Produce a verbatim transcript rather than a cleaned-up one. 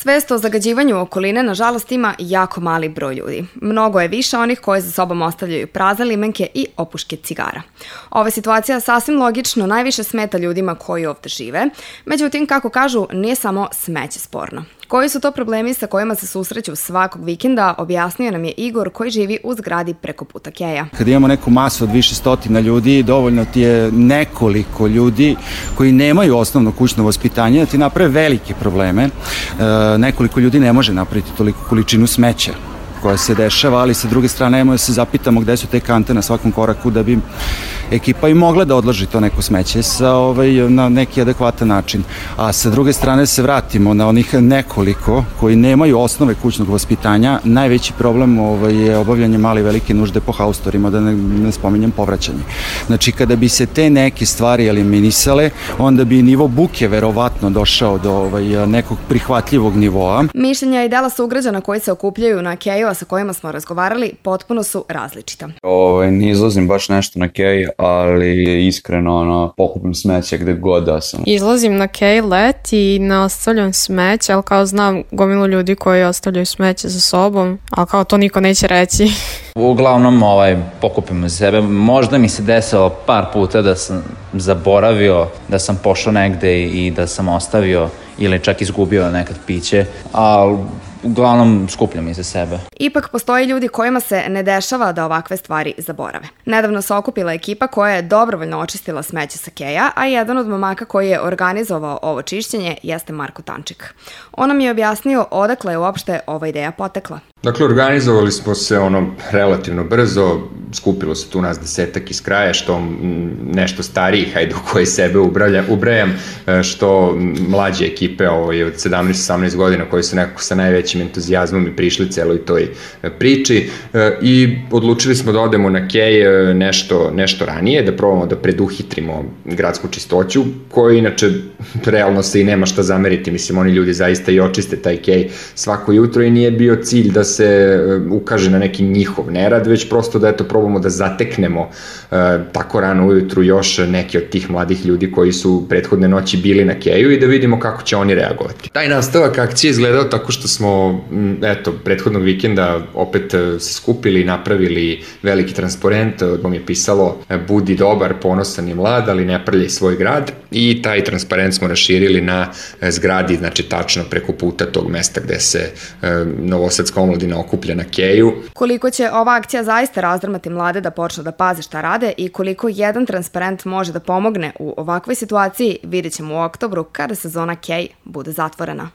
Svest o zagađivanju okoline, nažalost, ima jako mali broj ljudi. Mnogo je više onih koji za sobom ostavljaju prazne limenke i opuške cigara. Ova situacija sasvim logično najviše smeta ljudima koji ovde žive, međutim, kako kažu, nije samo smeće sporno. Koji su to problemi sa kojima se susreću svakog vikenda, objasnio nam je Igor koji živi u zgradi preko puta Keja. Kad imamo neku masu od više stotina ljudi, dovoljno ti je nekoliko ljudi koji nemaju osnovno kućno vaspitanje da ti naprave velike probleme. E, nekoliko ljudi ne može napraviti toliku količinu smeća koja se dešava, ali sa druge strane imamo da se zapitamo gde su te kante na svakom koraku da bi ekipa i mogla da odloži to neko smeće sa, ovaj, na neki adekvatan način. A sa druge strane se vratimo na onih nekoliko koji nemaju osnove kućnog vaspitanja. Najveći problem ovaj, je obavljanje male i velike nužde po haustorima, da ne, ne spominjem povraćanje. Znači, kada bi se te neke stvari eliminisale, onda bi nivo buke verovatno došao do ovaj, nekog prihvatljivog nivoa. Mišljenja i dela sugrađana koji se okupljaju na Keju, a sa kojima smo razgovarali, potpuno su različita. Ovaj, ne izlazim baš nešto na Kej, ali iskreno ono, pokupim smeće gde god da sam. Izlazim na Kej let i ne ostavljam smeće, ali kao znam gomilu ljudi koji ostavljaju smeće za sobom, ali kao to niko neće reći. Uglavnom ovaj, pokupim za sebe. Možda mi se desilo par puta da sam zaboravio da sam pošao negde i da sam ostavio ili čak izgubio nekad piće, ali uglavnom skupljam iza sebe. Ipak postoje ljudi kojima se ne dešava da ovakve stvari zaborave. Nedavno se okupila ekipa koja je dobrovoljno očistila smeće sa Keja, a jedan od momaka koji je organizovao ovo čišćenje jeste Marko Tančik. On nam je objasnio odakle je uopšte ova ideja potekla. Dakle, organizovali smo se ono relativno brzo, skupilo se tu nas desetak iz kraja, što nešto starijih, hajde u koje sebe ubrajam, što mlađe ekipe ovaj, od sedamnaest osamnaest godina koji su nekako sa najvećim entuzijazmom i prišli celoj toj priči i odlučili smo da odemo na Kej nešto, nešto ranije, da probamo da preduhitrimo gradsku čistoću, koji inače realno se i nema šta zameriti, mislim oni ljudi zaista i očiste taj Kej svako jutro i nije bio cilj da se ukaže na neki njihov nerad, već prosto da eto probamo da zateknemo e, tako rano ujutru još neki od tih mladih ljudi koji su prethodne noći bili na Keju i da vidimo kako će oni reagovati. Taj nastavak akcije izgledao tako što smo eto, prethodnog vikenda opet se skupili i napravili veliki transparent, odmah je pisalo budi dobar, ponosan i mlad, ali ne prljaj svoj grad i taj transparent smo raširili na zgradi, znači tačno preko puta tog mesta gde se e, novosadska omladina okuplja na Keju. Koliko će ova akcija zaista razdrmati mlade da počnu da paze šta rade i koliko jedan transparent može da pomogne u ovakvoj situaciji, vidjet ćemo u oktobru kada sezona Kej bude zatvorena.